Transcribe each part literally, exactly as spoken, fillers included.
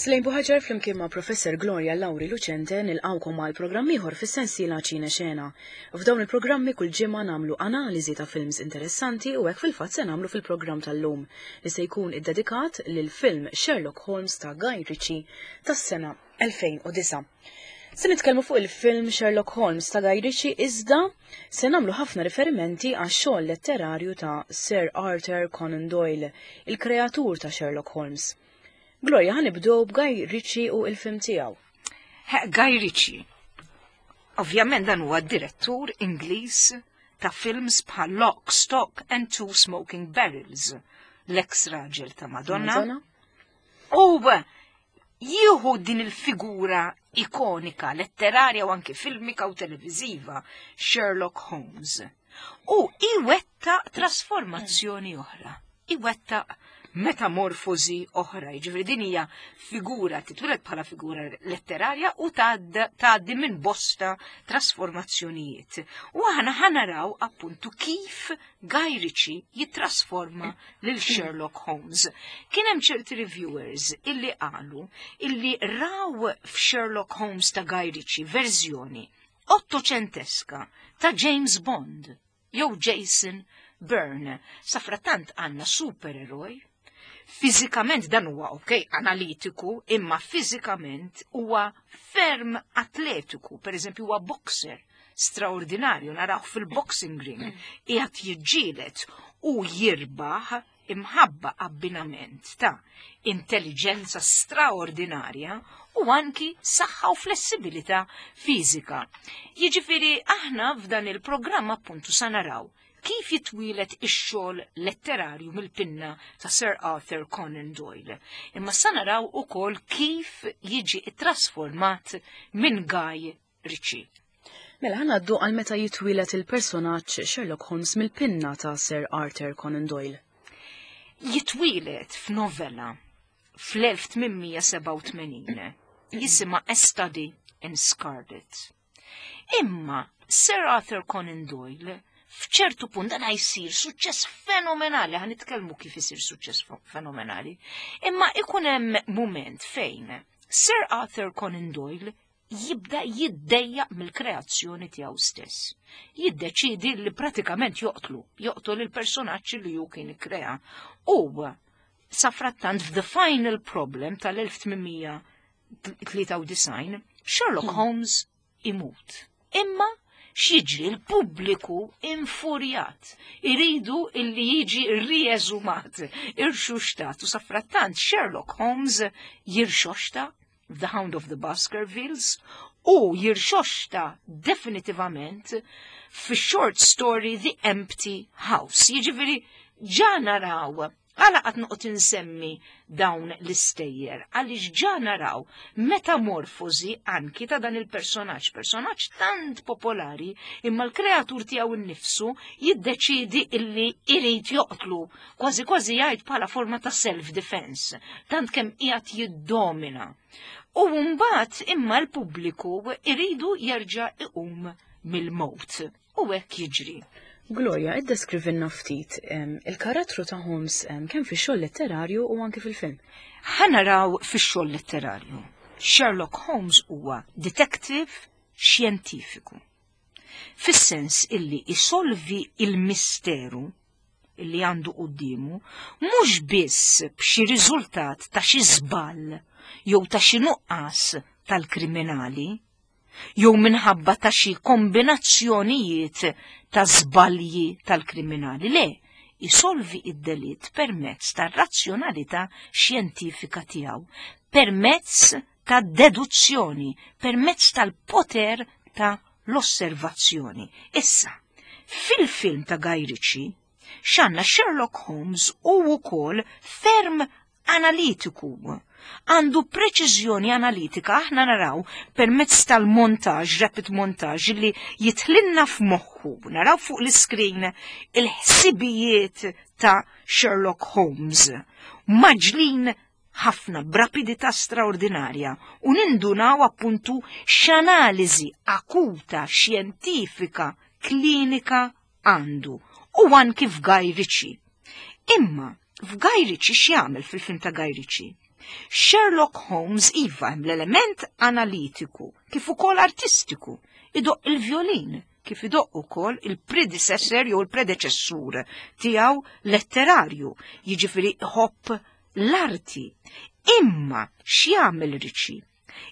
Slejn Buħaġar flimkien ma' Professor Gloria Lauri Lucente nilqawkom għal programm ieħor fis-sensiela Ċine Xena. F'dawn il-programmi kull ġimgħa nagħmlu analiżi ta' films interessanti u hekk fil-fatt se nagħmlu fil-programm tal-lum li se jkun iddedikat lil film Sherlock Holmes ta' Guy Ritchie tas-sena elfejn u disgħa. Se nitkellmu fuq il-film Sherlock Holmes ta' Guy Ritchie, iżda se nagħmlu ħafna riferimenti għax xogħol letterarju ta' Sir Arthur Conan Doyle, il-kreatur ta' Sherlock Holmes. Gloria, ħa nibdew b'Guy Ritchie u il-film tiegħu. Guy Ritchie. Ovvjament dan huwa direttur Ingliż ta' films bħal Lock, Stock and Two Smoking Barrels, l-ex raġel ta' Madonna. Madonna. U jieħu din il-figura ikonika, letterarja u anke filmika u televiziva, Sherlock Holmes. U iwettaq trasformazzjoni oħra. Iwettaq metamorfosi oħra. Jiġifieri din hija figura titwieled bħala figura letterarja u tgħaddi minn bosta trasformazzjonijiet. U aħna ħa naraw appuntu kif Guy Ritchie jittrasforma lil Sherlock Holmes. Kien hemm ċerti reviewers illi qalu illi raw f'Sherlock Holmes ta' Guy Ritchie verżjoni ottoċenteska ta' James Bond jew Jason Bourne. Safratant għandna supereroj. Fizikament dan huwa, ok, analitiku, imma fizikament huwa ferm atletiku, per eżempju huwa boxer straordinarju, narawh fil-boxing ring, qiegħed jiġġieled u jirbaħ imħabba abbinament ta' intelligenza straordinarja u anki saħħa u flessibilità fiżika. Jiġifieri aħna f'dan il-programm appuntu sa naraw kif jitwieled ix-xogħol letterarju mill-pinna ta' Sir Arthur Conan Doyle. Imma sa naraw ukoll kif jiġi trasformat minn Guy Ritchie. Mela ħa ngħaddu għal meta jitwieled il-personaġġ Sherlock Holmes mill-pinna ta' Sir Arthur Conan Doyle. Jitwieled f'novella fl-elf tmien mija sebgħa u tmenin jisimha A Study in Scarlet. Imma Sir Arthur Conan Doyle f'ċertu punt dan jsir suċċess fenomenali, ħa nitkellmu kif isir suċċess fenomenali, imma ikun hemm moment fejn Sir Arthur Conan Doyle jibda jiddejjaq mill-kreazzjoni tiegħu stess. Jiddeċidi li pratikament joqtlu, joqtol il-personaġġ li hu kien ikkrea. U safrattant f'The Final Problem tal-elf tmien mija tlieta u disgħin Sherlock Holmes imut. Imma x'jiġri? Il-pubbliku infurjat. Iridu illi jiġi rieżumat, irxuxtat, u safrattant Sherlock Holmes jirxoxta The Hound of the Baskervilles u jirxoxta definitivament fi short story The Empty House. Jiġifieri ġa naraw għala qed noqgħod insemmi dawn l-istejjer, għaliex ġa naraw metamorfosi anki ta' dan il-personaġġ, personaġġ tant popolari, imma l-kreatur tiegħu nnifsu jiddeċidi illi irid joqtlu, kważi kważi jgħid bħala forma ta' self-defense, tant kemm qiegħed jiddomina. U mbagħad imma l-pubbliku iridu jerġa' iqum mill-mowt. U hekk jiġri. Gloria, iddeskrivilna ftit il-karattru ta' Holmes kemm fix-xogħol letterarju u anki fil-film. Ħa naraw fix-xogħol letterarju. Sherlock Holmes huwa detective xjentifiku. Fis-sens illi isolvi il-misteru illi għandu quddiemu mhux biss b'xi riżultat ta' xi żball jew ta' xi nuqqas tal-kriminali, jew minħabba ta' xi kombinazzjonijiet ta' żbalji tal-kriminali. Le, isolvi id-delitt permezz ta' razzjonalità xjentifika tiegħu, permezz ta' deduzzjoni, permezz tal-poter ta' l-osservazzjoni. Issa, fil-film ta' Guy Ritchie, x'għandna? Sherlock Holmes u wkoll ferm analitiku. Għandu preċiżjoni analitika, aħna naraw permezz tal-montaġ, rapid montage, li jidħlilna f'moħħu, naraw fuq l-iskrin il-ħsibijiet ta' Sherlock Holmes. Mgħaġġlin ħafna b'rapidità straordinarja u nindunaw appuntu x'analiżi akuta, xjentifika, klinika għandu. U anki f'Guy Ritchie. Imma f'Guy Ritchie x'jagħmel fil-film ta' Guy Ritchie? Sherlock Holmes iva hemm l-element analitiku kif ukoll artistiku, idoqq il-violin kif idoqq ukoll il-predecessor jew il-predeċessur tiegħu letterarju, jiġifieri iħobb l-arti. Imma x'jagħmel Ritchie?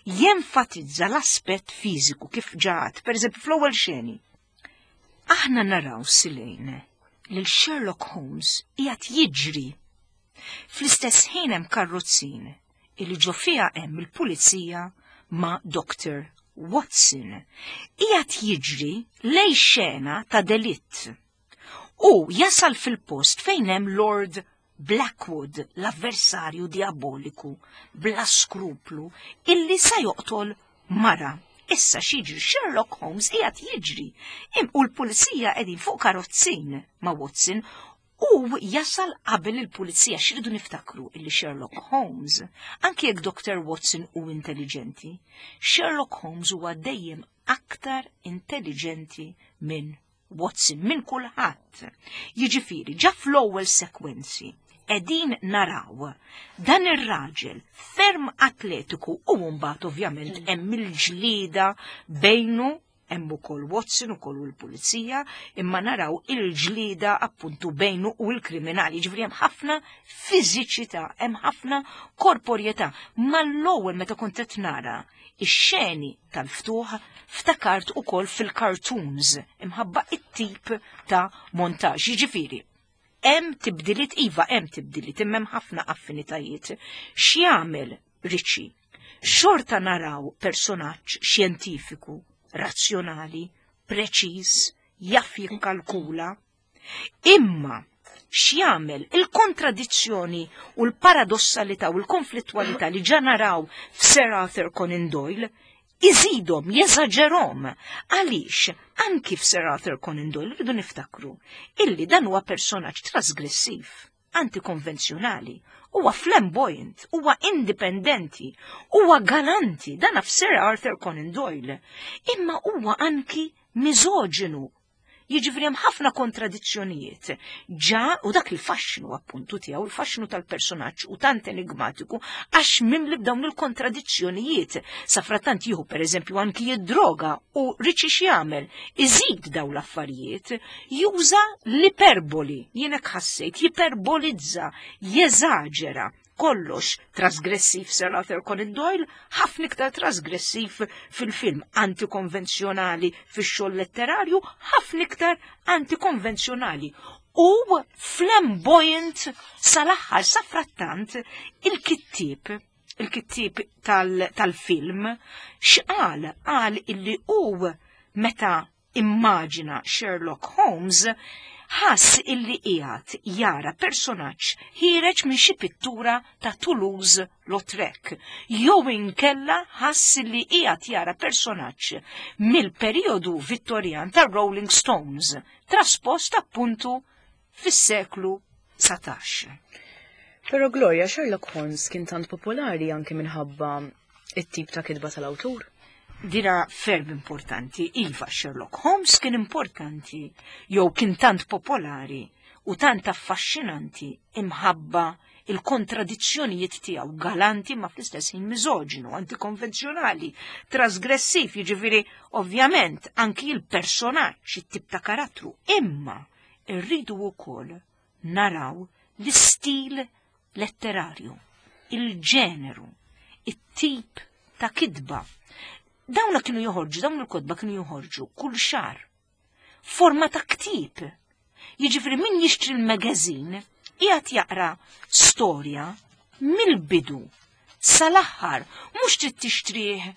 Jenfatizza l-aspett fiżiku kif ġat, per eżempju fl-ewwel xeni. Aħna naraw silejn lil Sherlock Holmes qiegħed jiġri. Fl-istess ħin hemm karrozzin illi ġo fiha hemm il-pulizija ma' Doctor Watson. Qiegħed jiġri lej xena ta' delitt. U jasal fil-post fejn hemm Lord Blackwood, l-avversarju diaboliku, bla skruplu, illi sa joqtol mara. Issa x'jiġri? Sherlock Holmes qiegħed jiġri. Im u l-pulizija qegħdin fuq karozzin ma' Watson u jasal qabel il-pulizija. X'iridu niftakru illi Sherlock Holmes, anki jekk Doctor Watson u intelligenti, Sherlock Holmes huwa dejjem aktar intelligenti minn Watson, minn kulħadd. Jiġifieri, ġa fl-ewwel sekwenzi qegħdin naraw dan ir-raġel ferm atletiku u mbagħad ovvjament hemm il-ġlieda bejnu, hemm ukoll Watson ukoll u l-pulizija, imma naraw il-ġlieda appuntu bejnu u l-kriminali. Ġifieri hemm ħafna fiżiċità, hemm ħafna korporjetà. Mal-ewwel meta kont qed nara ix-xeni tal-ftuħ ftakart ukoll fil-cartoons imħabba it-tip ta' montaġġ. Jiġifieri, hemm tibdiliet, iva hemm tibdiliet, imma hemm ħafna affinitajiet. X'jagħmel Ritchie? Xorta naraw personaġġ xjentifiku, razzjonali, preċiż, jaf jikkalkula. Imma x'jagħmel? Il-kontradizzjoni u l-paradossalità u l-konflittwalità li ġa naraw f'Sir Arthur Conan Doyle iżidhom, jeżaġerhom. Għaliex anki f'Sir Arthur Conan Doyle rridu niftakru illi dan huwa personaġġ trasgressiv, antikonvenzjonali, huwa flamboyant, huwa indipendenti, huwa galanti, dan f'Sir Arthur Conan Doyle. Imma huwa anki miżoġinu. Jiġifieri hemm ħafna kontradizzjonijiet. Ġa u dak il-faxxinu appuntu tiegħu, il-faxxinu tal-personaġġ u tant enigmatiku għax mimli b'dawn il-kontradizzjonijiet. Safrattant jieħu pereżempju anki jid-droga u Ritchie x'jagħmel? Iżid dawn l-affarijiet, juża l-iperboli, jien hekk ħassejt, jiperbolizza, jeżaġera. Kollox trasgressiv Sir Arthur Conan Doyle, ħafna iktar trasgressiv fil-film, antikonvenzjonali fix-xogħol letterarju, ħafna iktar antikonvenzjonali. U flamboyant sal-aħħar. Safrattant il-kittieb, il-kittieb tal-film, x'qal? Qal illi hu meta immaġina Sherlock Holmes ħass illi qiegħed jara personaġġ ħiereġ minn xi pittura ta' Toulouse-Lautrec, jew inkella ħass illi qiegħed jara personaġġ mill-perjodu Vittorjan ta' Rolling Stones, traspost appuntu fis-seklu dsatax. Però Gloria, Sherlock Holmes kien tant popolari anke minħabba it-tip ta' kitba tal-awtur? Dira ferm importanti, iva Sherlock Holmes kien importanti, jew kien tant popolari u tant affaxxinanti imħabba il-kontradizzjonijiet tiegħu, galanti ma fl-istess ħin miżoġinu, antikonvenzjonali, trasgressiv, jiġifieri ovvjament anki il-personaġġ, it-tip ta' karattru, imma rridu wkoll naraw l-istil letterarju, il-ġeneru, it-tip ta' kitba. Dawna kienu joħorġu, dawn il-kotba kienu joħorġu kull xahar. Forma ta' ktieb. Jiġifieri min jixtri l-magazin qiegħed jaqra storja mill-bidu sal-aħħar, mhux trid tixtrih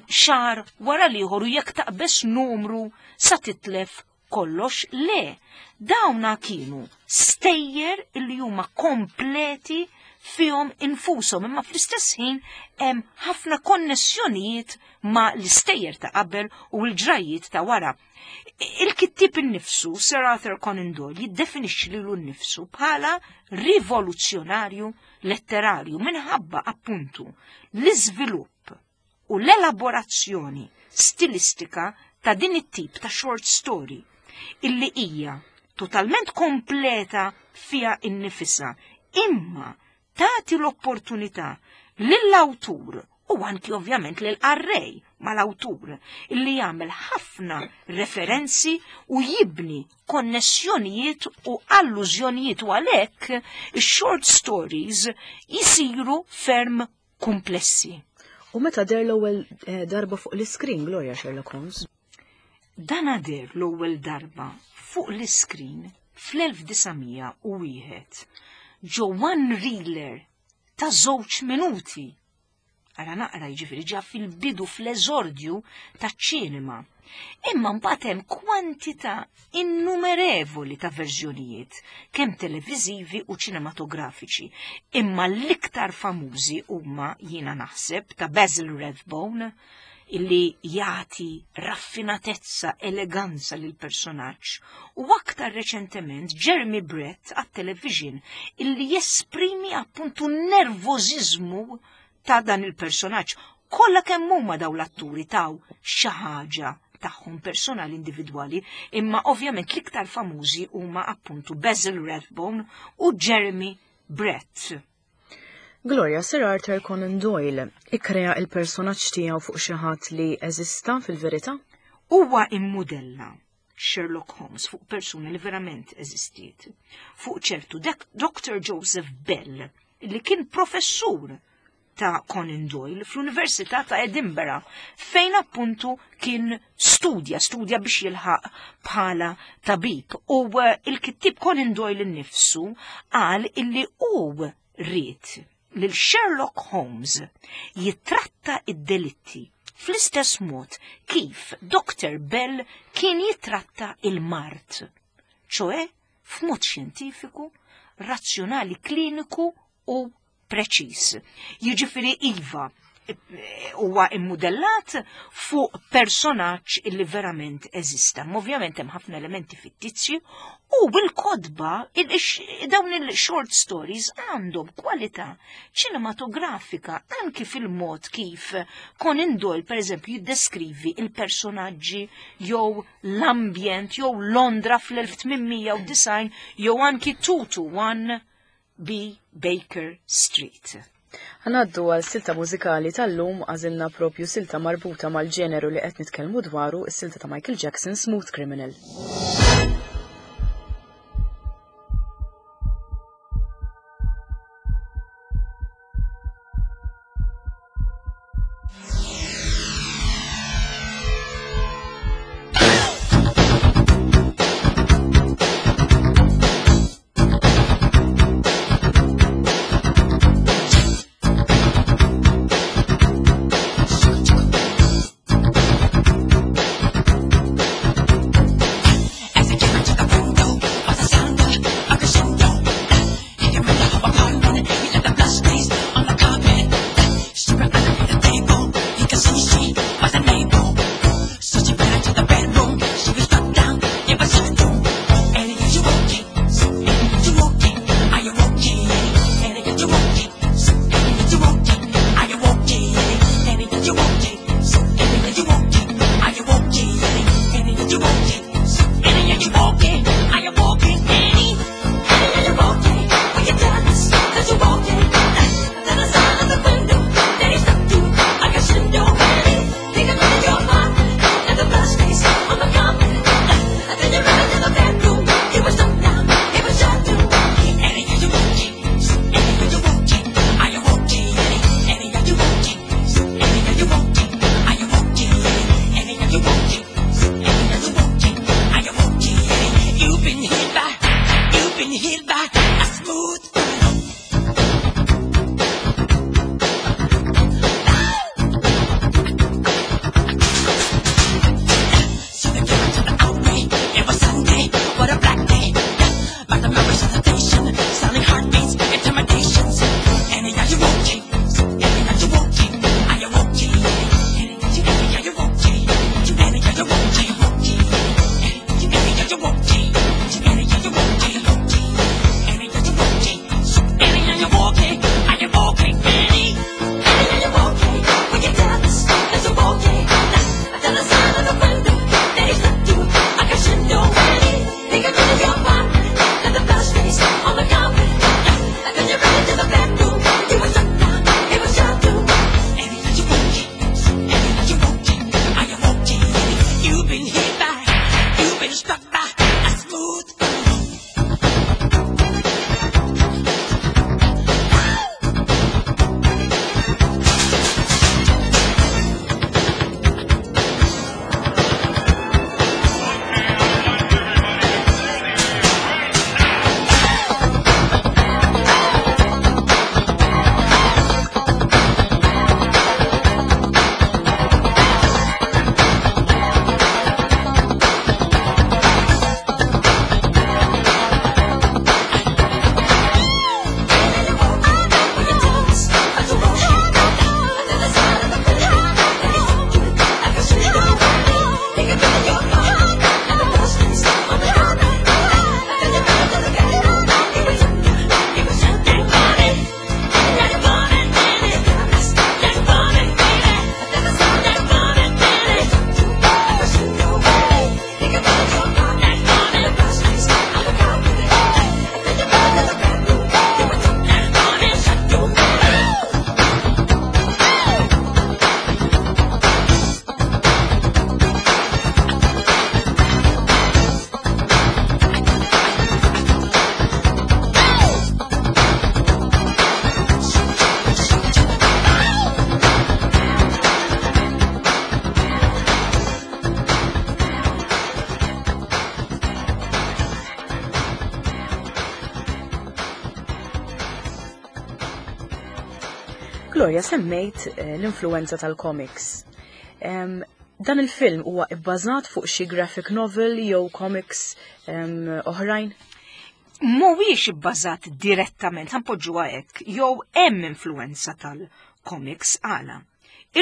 xahar wara l-ieħor u jekk taqbeż numru sa titlef kollox, le. Dawna kienu stejjer illi huma kompleti fihom infushom, imma fl-istess ħin hemm ħafna konnessjonijiet ma' l-istejjer ta' qabel u l-ġrajiet ta' wara. Il-kittieb innifsu, Sir Arthur Conan Doyle, jiddefinixxi lilu nnifsu bħala rivoluzzjonarju letterarju minħabba appuntu l-iżvilupp u l-elaborazzjoni stilistika ta' din it-tip ta' short story illi hija totalment kompleta fiha innifisha, imma tagħti l-opportunità lill-awtur u anki ovvjament lill-qarrej mal-awtur illi jagħmel ħafna referenzi u jibni konnessjonijiet u allużjonijiet, u għalhekk ix-short stories jisiru ferm komplessi. U meta deher l-ewwel eh, darba fuq l-iskrin, Gloria, Sherlock Holmes? Dan deher l-ewwel darba fuq l-iskrin fl-elf disa' mija u wieħed ġo one reeler ta' żewġ minuti. Ara naqra, jiġifieri ġa fil-bidu, fl-eżordju taċ-ċinema. Imma mbagħad hemm kwantità innumerevoli ta' verżjonijiet, kemm televiżivi u ċinematografiċi. Imma l-iktar famużi huma, jiena naħseb, ta' Basil Rathbone, illi jagħti raffinatezza, eleganza lil personaġġ, u aktar reċentement Jeremy Brett għat-television, illi jesprimi appuntu nervożiżmu ta' dan il-personaġġ. Kollha kemm huma daw l-atturi taw xi ħaġa tagħhom personali individwali, imma ovvjament l-iktar famużi huma appuntu Basil Rathbone u Jeremy Brett. Gloria, Sir Arthur Conan Doyle ikkrea il-personaġġ tiegħu fuq xi ħadd li eżista fil-verità? Huwa immudella Sherlock Holmes fuq persuna li verament eżistiet. Fuq ċertu Doctor Joseph Bell, li kien professur ta' Conan Doyle fl-Università ta' Edinburgh, fejn appuntu kien studja, studja biex jilħaq bħala tabib. U eh, il-kittib Conan Doyle innifsu qal illi hu ried lil Sherlock Holmes jitratta id-delitti fl-istess mod kif Doctor Bell kien jitratta il-mard, ċoè f'mod xjentifiku, razzjonali, kliniku u preċis. Jiġifieri iva, huwa immodellat fuq personaġġ illi verament eżista. Ovvjament hemm ħafna elementi fittizji u bil-kotba dawn il-short stories għandhom kwalità ċinematografika anki fil-mod kif Conan Doyle per eżempju jiddeskrivi il-personaġġi jew l-ambjent jew Londra fl-elf tmien mija u disgħin jew anki two two one B Baker Street. Ħa ngħaddu għal silta mużikali tal-lum. Għażilna propju silta marbuta mal-ġeneru li qed nitkellmu dwaru, is-silta ta' Michael Jackson, Smooth Criminal. As I came into the window of the sound of a crescendo. He came in the apartment, he left the blood stains on the carpet. She under the table, he could see she was unable. So she went into the bedroom, she was struck down in a room. And he got you okay, and he got you okay, are you okay? And he got you okay, and he got you okay, are you okay? And he got you okay, and he got you okay, are you okay? And he got you okay, and he got you okay, are you okay? Annie, Annie, are you okay? Will you tell us that you're okay? Then the sound of the window, then he struck to a crescendo. Annie, think I'm in your mind, and the blood stains on the carpet. And then you ran into the bedroom, he was struck down, he was shot too. Annie, are you okay? Annie, are you okay? Are you okay? Annie, Annie, are you okay? Annie, are you okay? Gloria, semmejt eh, l-influenza tal-comics. Em, Dan il-film huwa ibbażat fuq xi graphic novel jew comics em, oħrajn? Mhuwiex ibbażat direttament, ħa npoġġuha hekk, jew hemm influenza tal-comics. Għala?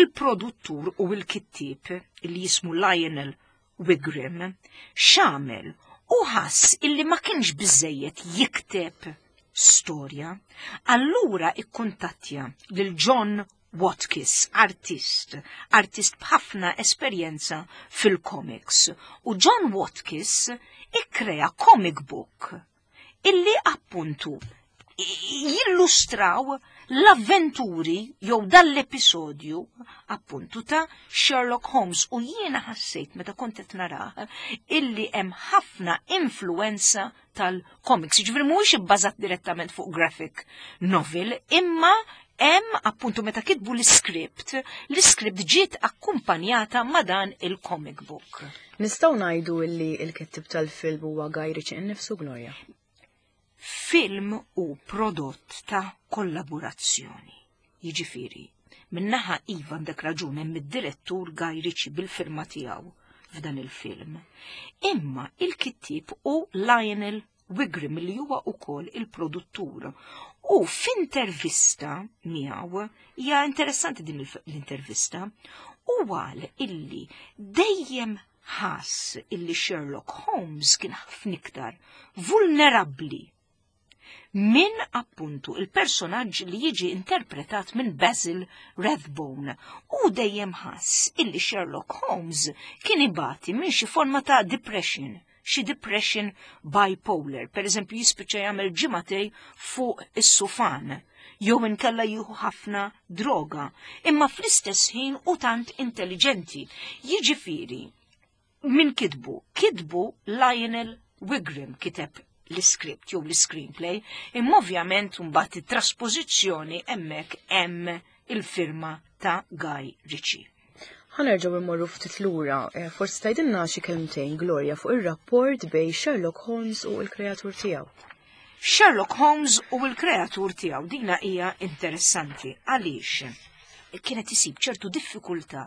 Il-produttur u l-kittieb li jismu Lionel Wigram x'għamel u ħass illi ma kienx biżejjed jikteb storja, allura ikkuntattja lil John Watkins, artist, artist b'ħafna esperjenza fil-comics. U John Watkins ikkrea comic book illi appuntu jillustraw l-avventuri jew dal-episodju appuntu ta' Sherlock Holmes, u jiena ħassejt meta kont qed narah illi hemm ħafna influenza tal-comics. Ġifieri mhuwiex ibbażat direttament fuq graphic novel, imma hemm appuntu meta kitbu l-script, l-script ġiet akkumpanjata ma' dan il-comic book. Nistgħu ngħidu illi il-kittib tal-film huwa Guy Ritchie innifsu, Gloria? Film hu prodott ta' kollaborazzjoni. Jiġifieri, min-naħa iva, għandek raġun, hemm id-direttur Guy Ritchie bil-firma tiegħu f'dan il-film. Imma il-kittib hu Lionel Wigram li huwa ukoll il-produttur. U f'intervista miegħu, hija interessanti din l-intervista, u qal illi dejjem ħass illi Sherlock Holmes kien ħafna iktar vulnerabbli minn appuntu il-personaġġ li jiġi interpretat minn Basil Rathbone, u dejjem ħass illi Sherlock Holmes kien ibati minn xi forma ta' depression, xi depression bipolar, per eżempju jispiċċa jagħmel ġimagħtejn fuq is-sufan, jew inkella jieħu ħafna droga, imma fl-istess ħin u tant intelligenti. Jiġifieri, min kitbu? Kitbu Lionel Wigram, kiteb l-script jew l-screenplay, imma ovvjament mbagħad it-trasposizzjoni hemmhekk hemm il-firma ta' Guy Ritchie. Ħa nerġgħu immorru ftit lura, eh, forsi tgħidilna xi kelmtejn, Gloria, fuq ir-rapport bejn Sherlock Holmes u l-kreatur tiegħu. Sherlock Holmes u l-kreatur tiegħu, dina hija interessanti għaliex kienet isib ċertu diffikultà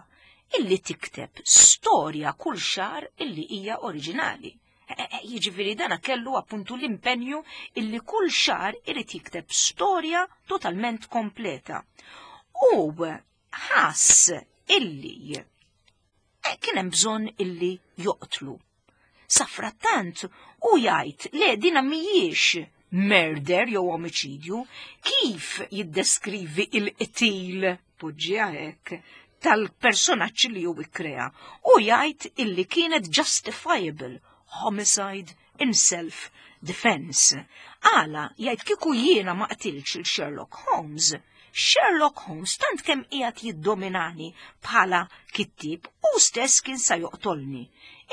illi tikteb storja kull xahar illi hija oriġinali. Eh, eh, jiġifieri dana kellu appuntu l-impenju illi kull xahar irid jikteb storja totalment kompleta. U ħass illi eh, kien hemm bżonn illi joqtlu. Safrattant u jgħid le, dina mhijiex murder jew omiċidju, kif jiddeskrivi il-qtil, poġġiha hekk, tal-personaġġ li hu ikkrea, u jgħid illi kienet justifiable homicide in self-defense. Għala, jgħid, kieku jiena ma qtilx il-Sherlock Holmes, Sherlock Holmes tant kemm qiegħed jiddominani bħala kittib, u stess kien sa joqtolni.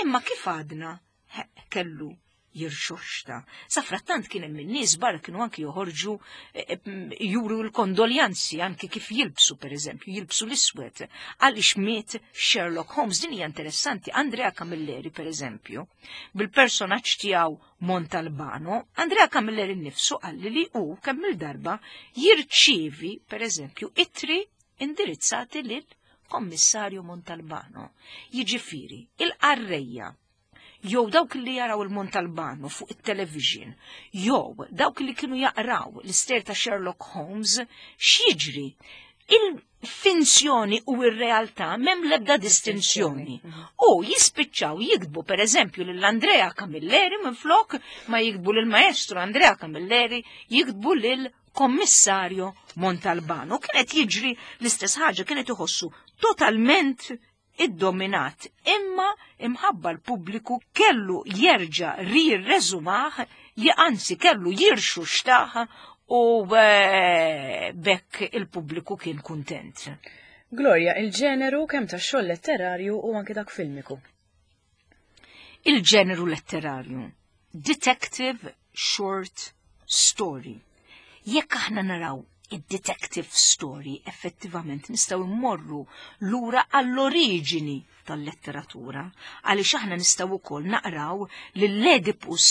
Imma kif għadna, kellu jirxoxta. Safrattant kien hemm in-nies barra kienu anki joħorġu eh, juru l-kondoljanzi anki kif jilbsu, pereżempju, jilbsu l-iswed għaliex miet Sherlock Holmes. Din hija interessanti. Andrea Camilleri, pereżempju, bil-personaġġ tiegħu Montalbano, Andrea Camilleri nnifsu qalli li hu kemm il-darba jirċievi, pereżempju, ittri indirizzati lil Kommissarju Montalbano. Jiġifieri, il-qarrejja jew dawk li jaraw il-Montalbano fuq il-television, jew dawk li kienu jaqraw l-istejjer ta' Sherlock Holmes, x'jiġri? Il-finzjoni u il-realtà m'hemm lebda distinzjoni. U jispiċċaw jiktbu per eżempju lil Andrea Camilleri, minn flok ma jiktbu lil maestro Andrea Camilleri, jiktbu lil Kommissarju Montalbano. Kienet jiġri l-istess ħaġa, kienet iħossu totalment iddominat, imma imħabba l-pubbliku kellu jerġa rirreżumah, anzi kellu jirxuxtah u eh, bekk il-pubbliku kien kuntent. Gloria, il-ġeneru kemm ta' xogħol letterarju u anke dak filmiku. Il-ġeneru letterarju. Detective short story. Jekk aħna naraw id-detective story, effettivament nistgħu immorru lura għall-oriġini tal-letteratura, għaliex aħna nistgħu wkoll naqraw l-Oedipus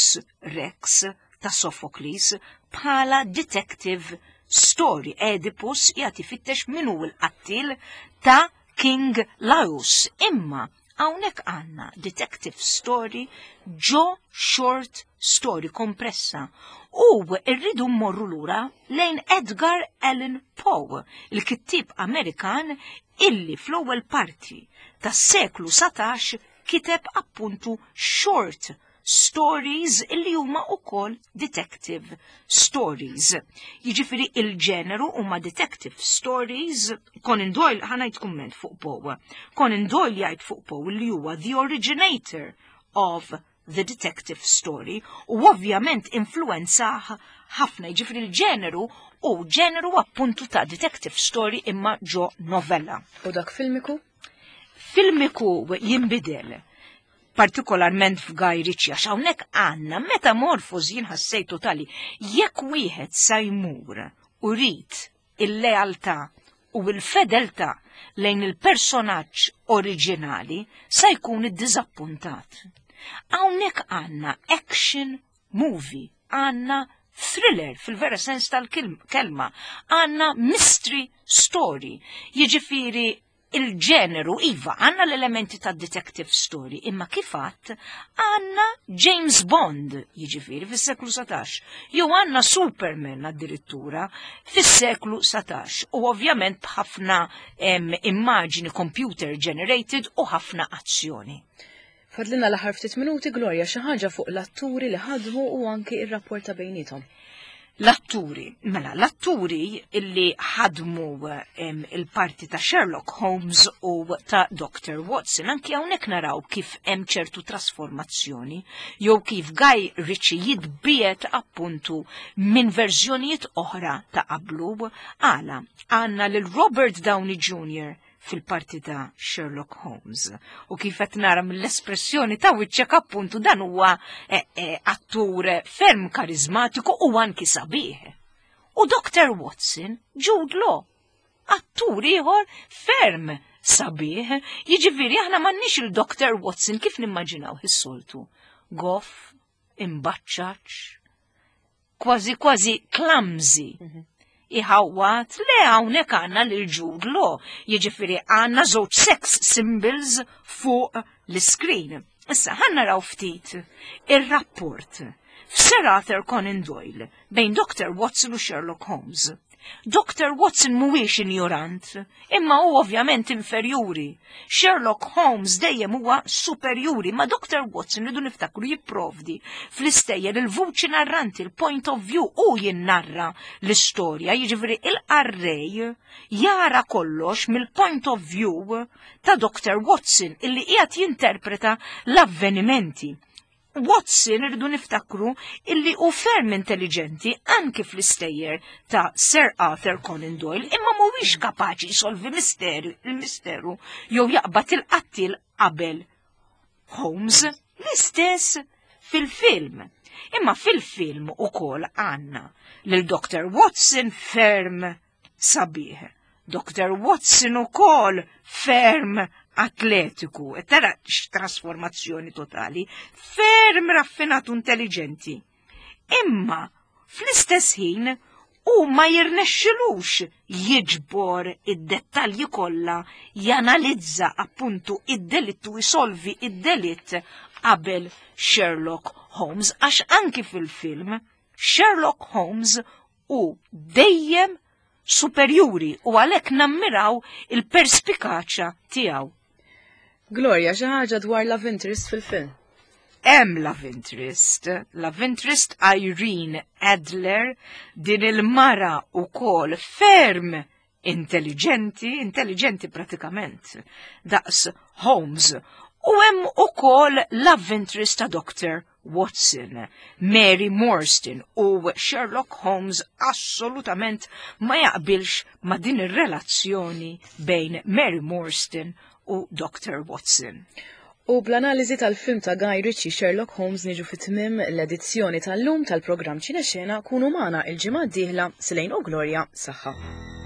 Rex ta' Sophocles bħala detective story. Oedipus qiegħed ifittex min hu l-qattil ta' King Laius. Imma hawnhekk għandna detective story ġo short story kompressa. U rridu mmorru lura lejn Edgar Allan Poe, il-kittib Amerikan illi fl-ewwel parti tas-seklu satax kiteb appuntu short stories illi huma ukoll detective stories. Jiġifieri il-ġeneru huma detective stories. Conan Doyle, ħa ngħid kumment fuq Poe. Conan Doyle jgħid fuq Poe li huwa the originator of the detective story u ovvjament influenzah ħafna. Jiġifieri il-ġeneru u ġeneru appuntu ta' detective story imma ġo novella. U dak filmiku? Filmiku jimbidel, partikolarment f'Guy Ritchie, għax hawnhekk għandna metamorfosi jien ħassejtu tali. Jekk wieħed sa jmur u jrid il-lealtà u l-fedeltà lejn il-personaġġ oriġinali, sa jkun iddiżappuntat. Hawnhekk għandna action movie, għandna thriller fil-vera sens tal-kelma, għandna mystery story, jiġifieri il-ġeneru, iva, għandna l-elementi ta' detective story, imma kif għedt għandna James Bond, jiġifieri fis-seklu satax, jew għandna Superman addirittura fis-seklu satax, u ovvjament b'ħafna immaġini computer generated u ħafna azzjoni. Fadlilna l-aħħar ftit minuti, Gloria, xi ħaġa fuq l-atturi li ħadmu u anki ir-rapport ta' bejnietom. L-atturi, mela, l-atturi illi ħadmu il-parti ta' Sherlock Holmes u ta' Doctor Watson, anki hawnhekk naraw kif hemm ċertu trasformazzjoni, jew kif Guy Ritchie jitbiegħed appuntu minn verżjonijiet oħra ta' qablu. Għala, għandna lil Robert Downey Junior fil-parti ta' Sherlock Holmes. U kif qed nara mill-espressjoni ta' wiċċek, appuntu dan huwa eh, eh, attur ferm karizmatiku u anki sabiħ. U Doctor Watson, Jude Law, attur ieħor ferm sabiħ, jiġifieri aħna m'għandniex il-Doctor Watson kif nimmaġinaw is-soltu. Goff, imbaċċaċ, kważi kważi clumsy. Mm -hmm. Iħawwat, le, hawnhekk għandna lil Jude Law, jiġifieri għandna żewġ sex symbols fuq l-screen. Issa ħa naraw ftit ir-rapport f'Sir Arthur Conan Doyle bejn Doctor Watson u Sherlock Holmes. Doctor Watson mhuwiex ignorant, imma hu ovvjament inferjuri. Sherlock Holmes dejjem huwa superjuri, ma Doctor Watson, rridu niftakru, jipprovdi fl-istejjer il-vuċi narranti, il-point of view, u jinnarra l-istorja, jiġifieri il-qarrej jara kollox mill-point of view ta' Doctor Watson illi qiegħed jinterpreta l-avvenimenti. Watson, irridu niftakru illi hu ferm intelligenti anki fl-istejjer ta' Sir Arthur Conan Doyle, imma mhuwiex kapaċi jsolvi misteru, il-misteru jew jaqbad il-qattil qabel Holmes. L-istess fil-film. Imma fil-film ukoll għandna lil Doctor Watson ferm sabiħ. Doctor Watson ukoll ferm atletiku, e tara trasformazzjoni totali, ferm raffinat u intelligenti. Imma fl-istess ħin u ma jirnexxilux jiġbor id-dettalji kollha, janalizza appuntu id-delittu, jisolvi id-delitt qabel Sherlock Holmes, għax anki fil-film Sherlock Holmes hu dejjem superjuri u għalhekk nammiraw il-perspikaċja tiegħu. Gloria, xi ħaġa dwar love interest fil-film? Hemm love interest. Love interest Irene Adler, din il-mara ukoll ferm intelligenti, intelligenti pratikament, daqs Holmes. U hemm ukoll love interest ta' Doctor Watson, Mary Morstan, u Sherlock Holmes assolutament ma jaqbilx ma din ir-relazzjoni bejn Mary Morstan u Doctor Watson. U bl-analiżi tal-film ta' Guy Ritchie Sherlock Holmes niġu fit-tmim l-edizzjoni tal-lum tal-programm Ċinexena. Kunu magħna il-ġimgħa d-dieħla. Selejn u Gloria, saħħa.